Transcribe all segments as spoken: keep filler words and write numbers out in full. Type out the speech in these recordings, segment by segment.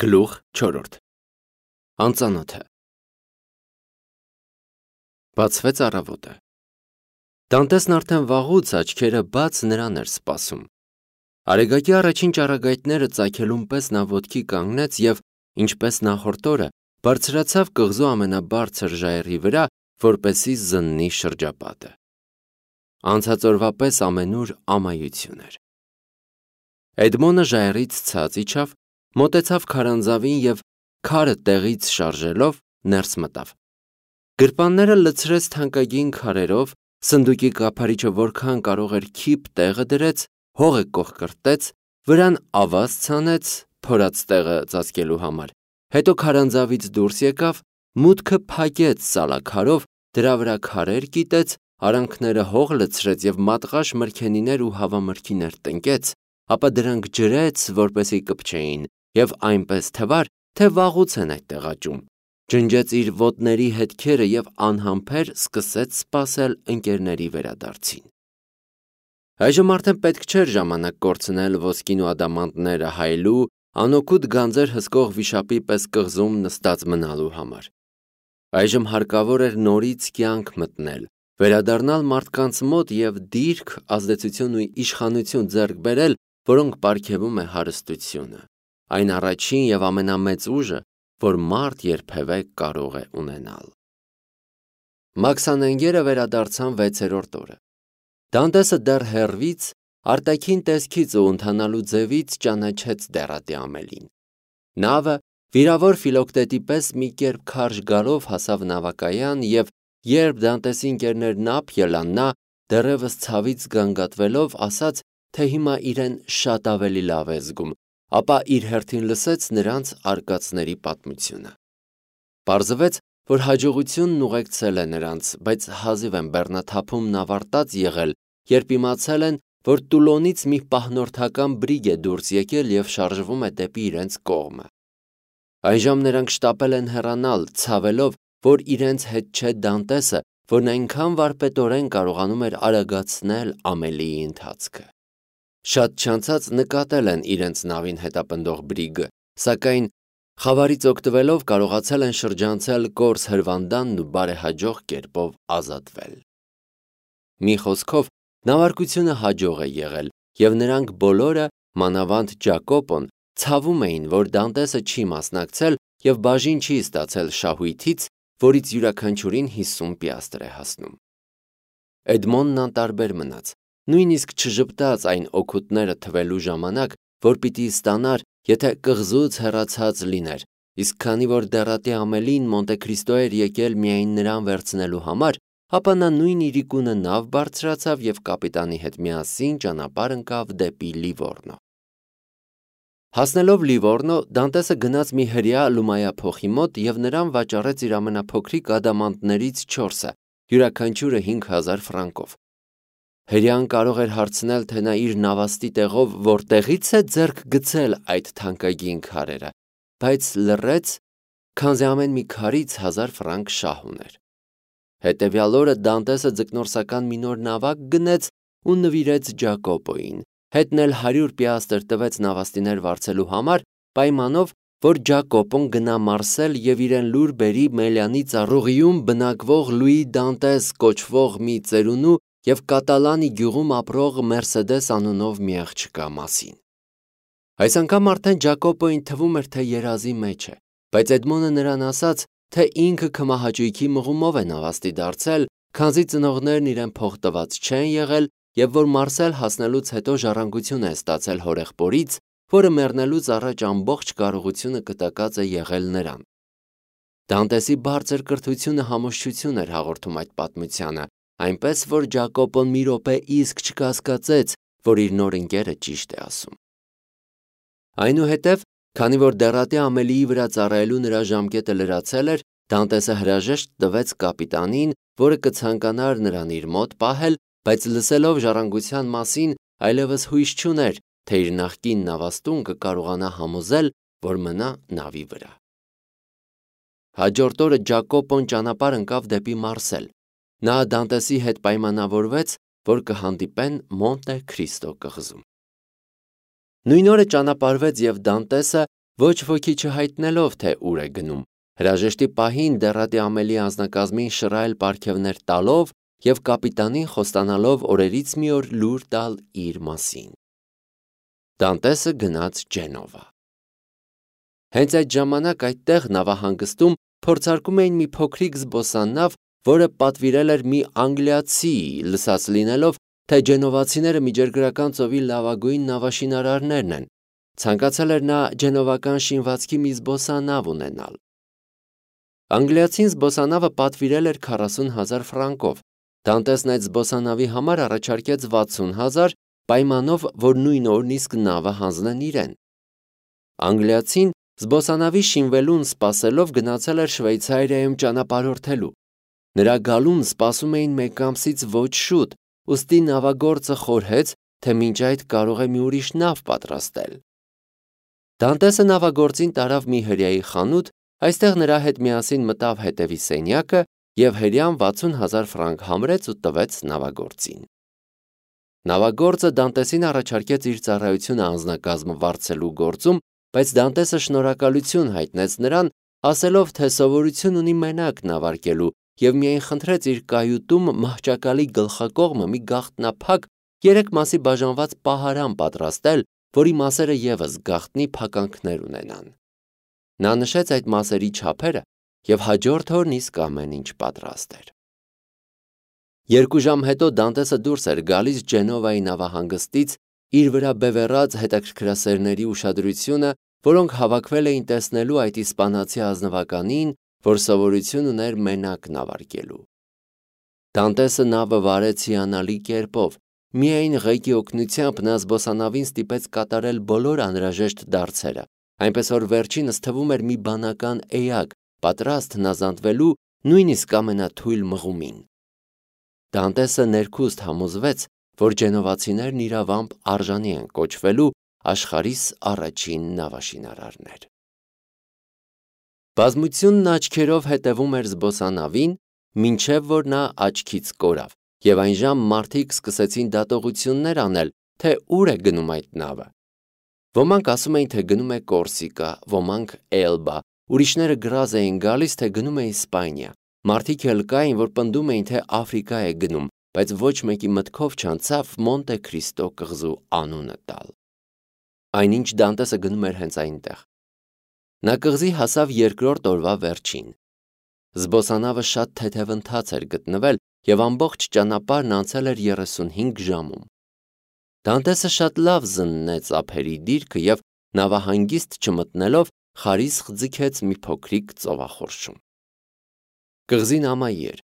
Գլուխ չորրորդ Անծանոթը Բացվեց առավոտը։ Դանտեսն արդեն վաղուց աչքերը բաց նրան էր սպասում։ Արեգակի առաջին ճառագայթները ծագելուն պես նա ոտքի կանգնեց և, ինչպես նախորդ օրը, բարձրացավ կղզու ամենաբարձր ժայռի վրա, որպեսզի զննի շրջապատը։ Անցած օրվա պես ամենուր ամայություն էր։ Էդմոնը ժայռից ցած իջավ, մոտեցավ քարանձավին և, քարը տեղից շարժելով, ներս մտավ։ Գրպանները լցրեց թանկագին քարերով, սնդուկի կափարիչը որքան կարող էր քիփ տեղը դրեց, հողը կոխկրտեց, վրան ավազ ցանեց փորած տեղը ծածկելու համար, հետո քարանձավից դուրս եկավ, մուտքը փակեց սալաքարով, դրա վրա քարեր կիտեց, արանքները հող լցրեց և մատղաշ մրգենիներ ու հավամրգիներ տնկեց, ապա դրանք ջրեց, որպեսզի կպչեին, և այնպես թվար, թե վաղուց են այդտեղ աճում, ջնջեց իր ոտների հետքերը և անհամբեր սկսեց սպասել ընկերների վերադարձին։ Այժմ արդեն պետք չէր ժամանակ կորցնել ոսկին ու ադամանդները հայելու, անօգուտ գանձեր հսկող վիշապի պես կղզում նստած մնալու համար։ Այժմ հարկավոր էր նորից կյանք մտնել, վերադառնալ մարդկանց մոտ և դիրք, ազդեցություն ու իշխանություն ձեռք բերել, որոնք պարգևում է հարստությունը, այն առաջին և ամենամեծ ուժը, որ մարդ երբևէ կարող է ունենալ։ Մաքսանենգերը վերադարձան վեցերորդ օրը։ Դանտեսը դեռ հեռվից, արտաքին տեսքից ու ընթանալու ձևից ճանաչեց դեռատի Ամելին։ Նավը, վիրավոր Ֆիլոկտետի պես մի կերպ քարշ գալով հասավ նավակայան և, երբ Դանտեսի ընկերներն ափ ելան, նա, դեռևս ցավից գանգատվելով, ասաց, թե հիմա իրեն շատ ավելի լավ է զգում, ապա իր հերթին լսեց նրանց արկածների պատմությունը։ Պարզվեց, որ հաջողությունն ուղեկցել է նրանց, բայց հազիվ են բեռնաթափումն ավարտած եղել, երբ իմացել են, որ Տուլոնից մի պահնորդական բրիգ է դուրս եկել և շարժվում է դեպի իրենց կողմը։ Այժմ նրանք շտապել են հեռանալ, ցավելով, որ իրենց հետ չէ Դանտեսը, որն այնքան վարպետորեն կարողանում էր արագացնել Ամելիի ընթացքը։ Շատ չանցած նկատել են իրենց նավին հետապնդող բրիգը, սակայն խավարից օգտվելով կարողացել են շրջանցել կորս հրվանդանն ու բարեհաջող կերպով ազատվել։ Մի խոսքով, նավարկությունը հաջող է եղել, և նրանք բոլորը, մանավանդ Ջակոպոն, ցավում էին, որ Դանտեսը չի մասնակցել և բաժին չի ստացել շահույթից, որից յուրաքանչյուրին հիսուն պիաստր է հասնում։ Էդմոնն անտարբեր մնաց, նույնիսկ չժպտաց այն օգուտները թվելու ժամանակ, որ պիտի ստանար, եթե կղզուց հեռացած լիներ, իսկ քանի որ դեռատի Ամելին Մոնտեքրիստո էր եկել միայն նրան վերցնելու համար, ապա նա նույն իրիկունը նավ բարձրացավ և կապիտանի հետ միասին ճանապարհ ընկավ դեպի Լիվորնո։ Հասնելով Լիվորնո, Դանտեսը գնաց մի հրեա լումայափոխի մոտ և նրան վաճառեց իր ամենափոքրիկ ադամանդներից չորսը, յուրաքանչյուրը հինգ հազար ֆրանկով։ Հրեան կարող էր հարցնել, թե նա իր նավաստի տեղով որտեղից է ձեռք գցել այդ թանկագին քարերը, բայց լռեց, քանզի ամեն մի քարից հազար ֆրանկ շահ ուներ։ Հետևյալ օրը Դանտեսը ձկնորսական մի նոր նավակ գնեց ու նվիրեց Ջակոպոյին, հետն էլ հարյուր պիաստր տվեց նավաստիներ վարձելու համար, պայմանով, որ Ջակոպոն գնա Մարսել և իրեն լուր բերի Մելյանի ծառուղիում բնակվող Լուի Դանտես կոչվող մի ծերունու և Կատալանի գյուղում ապրող Մերսեդես անունով մի աղջկա մասին։ Այս անգամ արդեն Ջակոպոյին թվում էր, թե երազի մեջ է, բայց Էդմոնը նրան ասաց, թե ինքը քմահաճույքի մղումով է նավաստի դարձել, քանզի ծնողներն իրեն փող տված չեն եղել և որ Մարսել հասնելուց հետո ժառանգություն է ստացել հորեղբորից, որը մեռնելուց առաջ ամբողջ կարողությունը կտակած է եղել նրան։ Դանտեսի բարձր կրթությունը համոզչություն էր հաղորդում այդ պատմությանը, այնպես որ Ջակոպոն մի րոպե իսկ չկասկածեց, որ իր նոր ընկերը ճիշտ է ասում։ Այնուհետև, քանի որ դեռատի Ամելիի վրա ծառայելու նրա ժամկետը լրացել էր, Դանտեսը հրաժեշտ տվեց կապիտանին, որը կցանկանար նրան իր մոտ պահել, բայց լսելով ժառանգության մասին, այլևս հույս չուներ, թե իր նախկին նավաստուն կկարողանա համոզել, որ մնա նավի վրա։ Հաջորդ օրը Ջակոպոն ճանապարհ ընկավ դեպի Մարսել։ Նա Դանտեսի հետ պայմանավորվեց, որ կհանդիպեն Մոնտե Քրիստո կղզում։ Նույն օրը ճանապարհվեց և Դանտեսը, ոչ ոքի չհայտնելով, թե ուր է գնում, հրաժեշտի պահին դեռատի ամելի անձնակազմին շռայլ պարգևներ տալով և կապիտանին խոստանալով օրերից մի օր լուր տալ իր մասին։ Դանտեսը գնաց Ջենովա։ Հենց այդ ժամանակ այդտեղ նավահանգստում փորձարկում էին մի փոքրիկ զբոսանավ, որը պատվիրել էր մի անգլիացի, լսած լինելով, թե ջենովացիները միջերգրական ծովի լավագույն նավաշինարարներն են, ցանկացել էր նա ջենովական շինվածքի մի զբոսանավ ունենալ։ Անգլիացին զբոսանավը պատվիրել էր քառասուն հազար ֆրանկով, Դանտեսն այդ զբոսանավի համար առաջարկեց վաթսուն հազար, պայմանով, որ նույն օրն իսկ նավը հանձնեն իրեն։ Անգլիացին զբոսանավի շինվելուն սպասելով գնացել էր Շվեյցարիայում ճանապարհորդելու։ Նրա գալուն սպասում էին մեկ ամսից ոչ շուտ, ուստի նավագործը խորհեց, թե մինչ այդ կարող է մի ուրիշ նավ պատրաստել։ Դանտեսը նավագործին տարավ մի հրեայի խանութ, այստեղ նրա հետ միասին մտավ հետևի սենյակը և հրեան վաթսուն հազար ֆրանկ համրեց ու տվեց նավագործին։ Նավագործը Դանտեսին առաջարկեց իր ծառայությունը անձնակազմը վարձելու գործում, բայց Դանտեսը շնորհակալություն հայտնեց նրան, ասելով, թե սովորություն ունի մենակ նավարկելու և միայն խնդրեց իր կայուտում մահճակալի գլխակողմը մի գաղտնափակ երեք մասի բաժանված պահարան պատրաստել, որի մասերը ևս գաղտնի փականքներ ունենան։ Նա նշեց այդ մասերի չափերը և հաջորդ օրն իսկ ամեն ինչ պատրաստ էր։ Երկու ժամ հետո Դանտեսը դուրս էր գալիս Ջենովայի նավահանգստից, իր վրա բևեռած հետաքրքրասերների ուշադրությունը, որոնք հավաքվել էին տեսնելու այդ իսպանացի ազնվականին, որ սովորություն ուներ մենակ նավարկելու։ Դանտեսը նավը վարեց հիանալի կերպով, միայն ղեկի օգնությամբ նա զբոսանավին ստիպեց կատարել բոլոր անհրաժեշտ դարձերը, այնպես որ վերջինս թվում էր մի բանական էակ, պատրաստ հնազանդվելու նույնիսկ ամենաթույլ մղումին։ Դանտեսը ներքուստ համոզվեց, որ ջենովացիներն իրավամբ արժանի են կոչվելու աշխարհիս առաջին նավաշինարարներ։ Բազմությունն աչքերով հետևում էր զբոսանավին, մինչև որ նա աչքից կորավ, և այն ժամ մարդիկ սկսեցին դատողություններ անել, թե ուր է գնում այդ նավը։ Ոմանք ասում էին, թե գնում է Կորսիկա, ոմանք Էլբա, ուրիշները գրազ էին գալիս, թե գնում է Իսպանիա, մարդիկ էլ կային, որ պնդում էին, թե Աֆրիկա է գնում, բայց ոչ մեկի մտքով չանցավ Մոնտե Քրիստո կղզու անունը տալ։ Այնինչ Դանտեսը գնում էր հենց այնտեղ։ Նա կղզի հասավ երկրորդ օրվա վերջին։ Զբոսանավը շատ թեթև ընթաց էր գտնվել և ամբողջ ճանապարհն անցել էր երեսունհինգ ժամում։ Դանտեսը շատ լավ զննեց ափերի դիրքը և նավահանգիստ չմտնելով խարիսխ ձգեց մի փոքրիկ ծովախորշում։ Կղզին ամայի էր։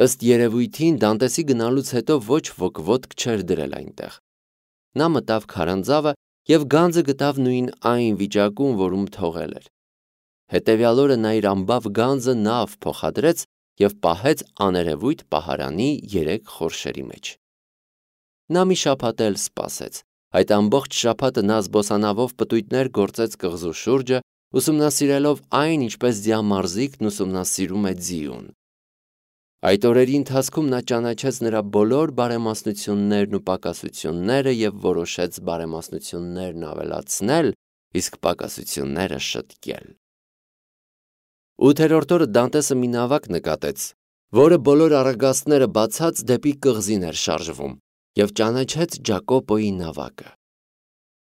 Ըստ երևույթին Դանտեսի գնալուց հետո ոչ ոք ոտք չէր դրել այնտեղ։ Նա մտավ քարանձավը և գանձը գտավ նույն այն վիճակում, որում թողել էր։ Հետևյալ օրը նա իր ամբավ գանձը նավ փոխադրեց և պահեց աներևույթ պահարանի երեք խորշերի մեջ։ Նա մի շաբաթ էլ սպասեց։ Այդ ամբողջ շաբաթը նա զբոսանավով պտույտներ գործեց կղզու շուրջը, ուսումնասիրելով այն, ինչպես ձիամարզիկն ուսումնասիրում է ձիուն։ Այդ օրերի ընթացքում նա ճանաչեց նրա բոլոր բարեմասնություններն ու պակասությունները և որոշեց բարեմասնություններն ավելացնել, իսկ պակասությունները շտկել։ Ութերորդ օրը Դանտեսը մի նավակ նկատեց, որը բոլոր առագաստները բացած դեպի կղզին էր շարժվում, և ճանաչեց Ջակոպոյի նավակը։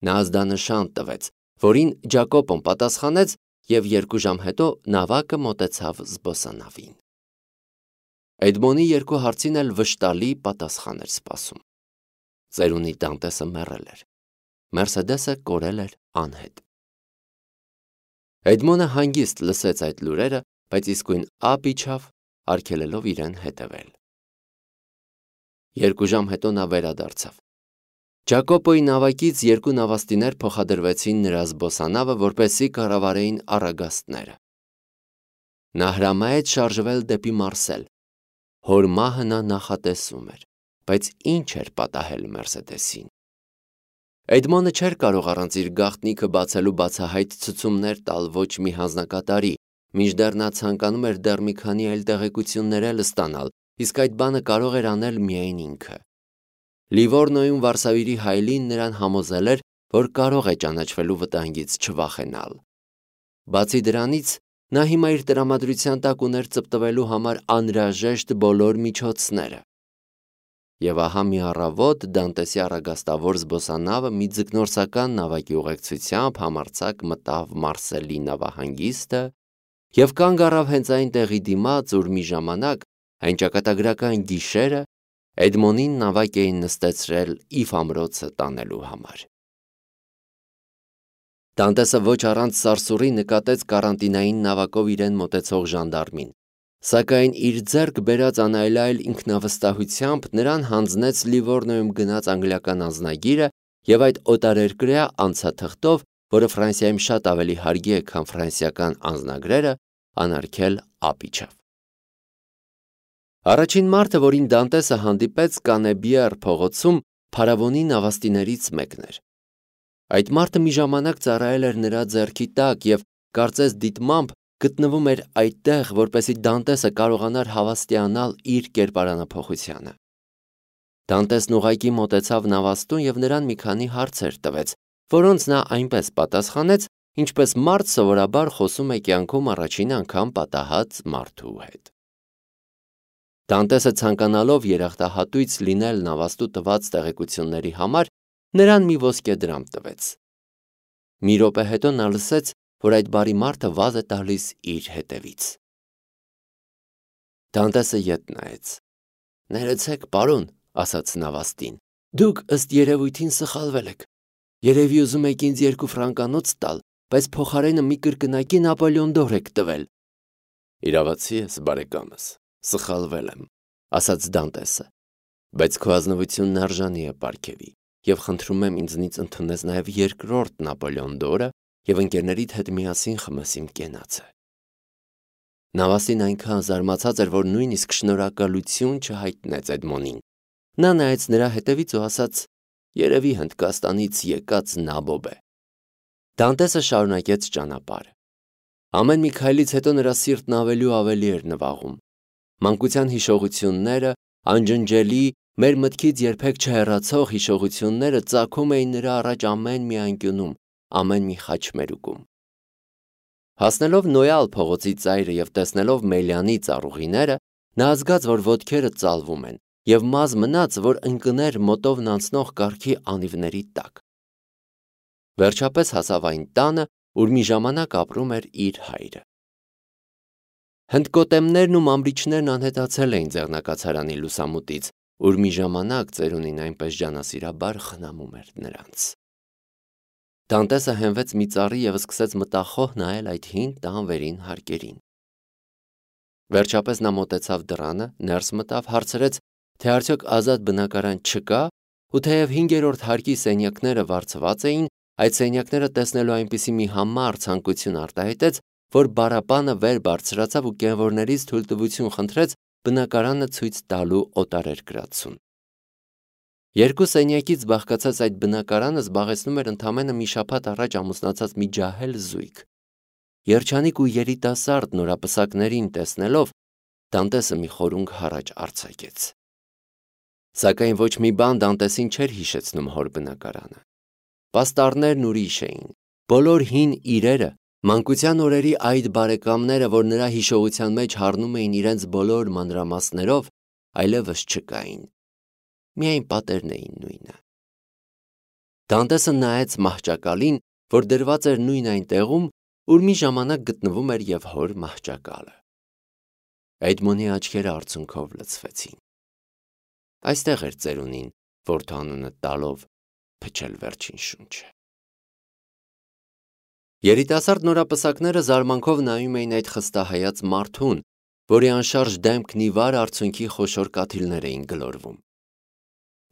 Նա ազդանշան տվեց, որին Ջակոպոն պատասխանեց, և երկու ժամ հետո նավակը մոտեցավ զբոսանավին։ Էդմոնի երկու հարցին էլ վշտալի պատասխան էր սպասում։ Ծերունի Դանտեսը մեռել էր։ Մերսեդեսը կորել էր անհետ։ Էդմոնը հանգիստ լսեց այդ լուրերը, բայց իսկույն ափ իջավ, արգելելով իրեն հետևել։ Երկու ժամ հետո նա վերադարձավ։ Ջակոպոյի նավակից երկու նավաստիներ փոխադրվեցին նրա զբոսանավը, որպեսզի կառավարեին առագաստները։ Նա հրամայեց շարժվել դեպի Մարսել։ Հոր մահը նա նախատեսում էր, բայց ինչ էր պատահել Մերսեդեսին։ Էդմոնը չէր կարող առանց իր գաղտնիքը բացելու բացահայտ ցուցումներ տալ ոչ մի հանձնակատարի, մինչդեռ նա ցանկանում էր դեռ մի քանի այլ տեղեկություններ էլ ստանալ, իսկ այդ բանը կարող էր անել միայն ինքը։ Լիվորնոյում Վարշավայի հայլին նրան համոզել էր, որ կարող է ճանաչվելու վտանգից չվախենալ։ Բացի դրանից, նա հիմա իր տրամադրության տակ ուներ ծպտվելու համար անհրաժեշտ բոլոր միջոցները։ Եվ ահա մի առավոտ Դանտեսի առագաստավոր զբոսանավը մի ձկնորսական նավակի ուղեկցությամբ համարձակ մտավ Մարսելի նավահանգիստը և կանգ առավ հենց այն տեղի դիմաց, ուր մի ժամանակ, այն ճակատագրական գիշերը, Էդմոնին նավակ էին նստեցրել Իֆ ամրոցը տանելու համար։ Դանտեսը ոչ առանց սարսուռի նկատեց կարանտինային նավակով իրեն մոտեցող ժանդարմին, սակայն իր ձեռք բերած անայլայլ ինքնավստահությամբ նրան հանձնեց Լիվորնոյում գնած անգլիական անձնագիրը և այդ օտարերկրյա անցաթղթով, որը Ֆրանսիայում շատ ավելի հարգի է, քան ֆրանսիական անձնագրերը, անարգել ապիչավ։ Առաջին մարդը, որին Դանտեսը հանդիպեց Կանեբիեր փողոցում, փարավոնի նավաստիներից մեկն էր։ Այդ մարդը մի ժամանակ ծառայել էր նրա ձեռքի տակ և կարծես դիտմամբ գտնվում էր այդտեղ, որպեսզի Դանտեսը կարողանար հավաստիանալ իր կերպարանափոխությանը։ Դանտեսն ուղղակի մոտեցավ նավաստուն և նրան մի քանի հարցեր տվեց, որոնց նա այնպես պատասխանեց, ինչպես մարդ սովորաբար խոսում է կյանքում առաջին անգամ պատահած մարդու հետ։ Դանտեսը ցանկանալով երախտահատույց լինել նավաստու տված տեղեկությունների համար, նրան մի ոսկե դրամ տվեց։ Մի րոպե հետո նա լսեց, որ այդ բարի մարդը վազ է տալիս իր հետևից։ Դանտեսը ետ նայեց։ «Ներեցեք, պարոն», ասաց նավաստին, «դուք ըստ երևույթին սխալվել եք։ Երևի ուզում եք ինձ երկու ֆրանկանոց տալ, բայց փոխարենը մի կրկնակի Նապոլեոն դոր եք տվել»։ «Իրավացի ես, բարեկամս, սխալվել եմ», ասաց Դանտեսը, «բայց քո ազնվությունն արժանի է պարգևի և խնդրում եմ ինձնից ընդունես նաև երկրորդ Նապոլեոն դորը և ընկերներիդ հետ միասին խմես իմ կենացը»։ Նավաստին այնքան զարմացած էր, որ նույնիսկ շնորհակալություն չհայտնեց Էդմոնին։ Նա նայեց նրա հետևից ու ասաց. «Երևի Հնդկաստանից եկած նաբոբ է»։ Դանտեսը շարունակեց ճանապարհը։ Ամեն մի քայլից հետո նրա սիրտն ավելի ու ավելի էր նվաղում։ Մանկության հիշողությունները, անջնջելի, մեր մտքից երբեք չհեռացող հիշողությունները ծագում էին նրա առաջ ամեն մի անկյունում, ամեն մի խաչմերուկում։ Հասնելով Նոյալ փողոցի ծայրը և տեսնելով Մելյանի ծառուղիները, նա զգաց, որ ոտքերը ծալվում են, և մազ մնաց, որ ընկներ մոտովն անցնող կառքի անիվների տակ։ Վերջապես հասավ այն տանը, ուր մի ժամանակ ապրում էր իր հայրը։ Հնդկոտեմներն ու մամրիչներն անհետացել էին ձեռնակացարանի լուսամուտից, ուր մի ժամանակ ծերունին այնպես ջանասիրաբար խնամում էր նրանց։ Դանտեսը հենվեց մի ծառի և սկսեց մտախոհ նայել այդ հին տան վերին հարկերին։ Վերջապես նա մոտեցավ դռանը, ներս մտավ, հարցրեց, թե արդյոք ազատ բնակարան չկա, ու թեև հինգերորդ հարկի սենյակները վարձված էին, այդ սենյակները տեսնելու այնպիսի մի համառ ցանկություն արտահայտեց, որ բառապանը վեր բարձրացավ ու կենվորներից թույլտվություն խնդրեց բնակարանը ցույց տալու օտարերկրացուն։ Երկու սենյակից բաղկացած այդ բնակարանը զբաղեցնում էր ընդամենը մի շաբաթ առաջ ամուսնացած մի ջահել զույգ։ Երջանիկ ու երիտասարդ նորապսակներին տեսնելով, Դանտեսը մի խորունգ հառաչ արձակեց։ Սակայն ոչ մի բան Դանտեսին չէր հիշեցնում հոր բնակարանը։ Պաստառներն ուրիշ էին, բոլոր հին իրերը, մանկության օրերի այդ բարեկամները, որ նրա հիշողության մեջ հառնում էին իրենց բոլոր մանրամասներով, այլևս չկային։ Միայն պատերն էին նույնը։ Դանտեսը նայեց մահճակալին, որ դրված էր նույն այն տեղում, ուր մի ժամանակ գտնվում էր և հոր մահճակալը։ Էդմոնի աչքերը արցունքով լցվեցին։ Այստեղ էր ծերունին, որդու անունը տալով փչել վերջին շունչը։ Երիտասարդ նորապսակները զարմանքով նայում էին այդ խստահայաց մարդուն, որի անշարժ դեմքն ի վար արցունքի խոշոր կաթիլներ էին գլորվում։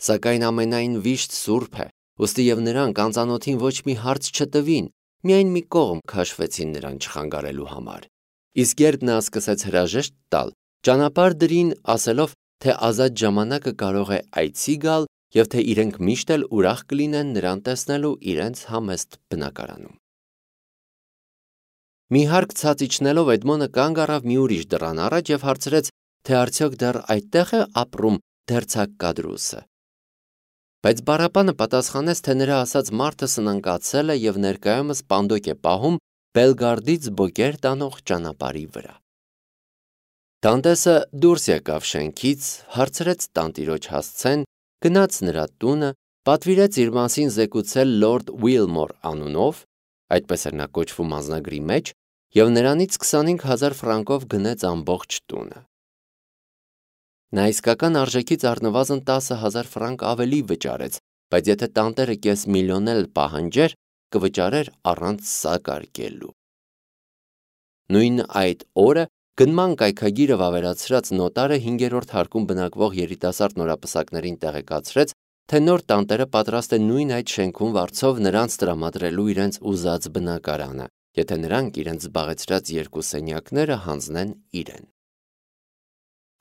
Սակայն ամենայն վիշտ սուրբ է, ուստի և նրանք անծանոթին ոչ մի հարց չտվին, միայն մի կողմ քաշվեցին նրան չխանգարելու համար։ Իսկ երբ նա սկսեց հրաժեշտ տալ, ճանապարհ դրին, ասելով, թե ազատ ժամանակը կարող է այցի գալ և թե իրենք միշտ էլ ուրախ կլինեն նրան տեսնելու իրենց համեստ բնակարանում։ Մի հարկ ցած իջնելով Էդմոնը կանգ առավ մի ուրիշ դռան առաջ և հարցրեց, թե արդյոք դեռ այդտեղ է ապրում դերձակ Կադրուսը։ Բայց բառապանը պատասխանեց, թե նրա ասած մարդը սնանկացել է և ներկայումս պանդոկ է պահում Բելգարդից բոկեր տանող ճանապարհի վրա։ Դանտեսը դուրս եկավ շենքից, հարցրեց տանտիրոջ հասցեն, գնաց նրա տունը, պատվիրեց իր մասին զեկուցել լորդ Ուիլմոր անունով, այդպես էր նա կոչվում անձնագրի մեջ, և նրանից քսանհինգ հազար ֆրանկով գնեց ամբողջ տունը։ Նա իսկական արժեքից առնվազն տասը հազար ֆրանկ ավելի վճարեց, բայց եթե տանտերը կես միլիոն էլ պահանջեր, կվճարեր առանց սակարկելու։ Նույն այդ օրը գնման կայքագիրը վավերացրած նոտարը հինգերորդ հարկում բնակվող երիտասարդ նորապսակներին տեղեկացրեց, թե նոր տանտերը պատրաստ է նույն այդ շենքում վարձով նրանց տրամադրելու իրենց ուզած բնակարանը, եթե նրանք իրենց զբաղեցրած երկու սենյակները հանձնեն իրեն։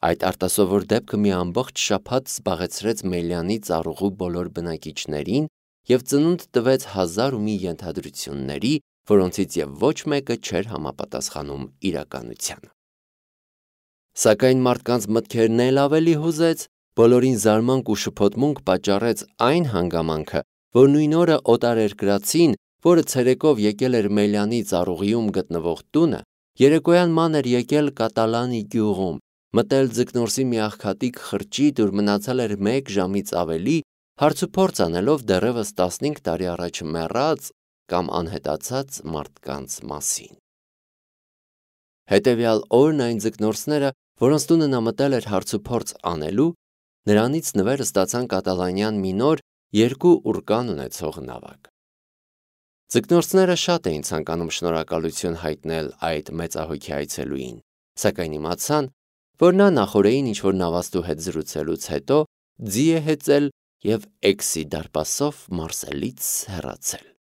Այդ արտասովոր դեպքը մի ամբողջ շաբաթ զբաղեցրեց Մելյանի ծառուղու բոլոր բնակիչներին և ծնունդ տվեց հազար ու մի ենթադրությունների, որոնցից և ոչ մեկը չէր համապատասխանում իրականությանը։ Սակայն մարդկանց մտքերն էլ ավելի հուզեց, բոլորին զարմանք ու շփոթմունք պատճառեց այն հանգամանքը, որ նույն օրը օտարերկրացին, որը ցերեկով եկել էր Մելյանի ծառուղիում գտնվող տունը, երեկոյան ման էր եկել Կատալանի գյուղում, մտել ձկնորսի մի աղքատիկ խրճիթ, ուր մնացել էր մեկ ժամից ավելի, հարցուփորձ անելով դեռևս տասնհինգ տարի առաջ մեռած կամ անհետացած մարդկանց մասին։ Հետևյալ օրն այն ձկնորսները, որոնց տունը նա մտել էր հարցուփորձ անելու, նրանից նվեր ստացան կատալանյան մի նոր երկու ուրկան ունեցող նավակ։ Ձկնորսները շատ էին ցանկանում շնորհակալություն հայտնել այդ մեծահոգի այցելուին, սակայն իմացան, որ նա նախօրեին ինչ-որ նավաստու հետ զրուցելուց հետո ձի է հեծել և Էքսի դարպասով Մարսելից հեռացել։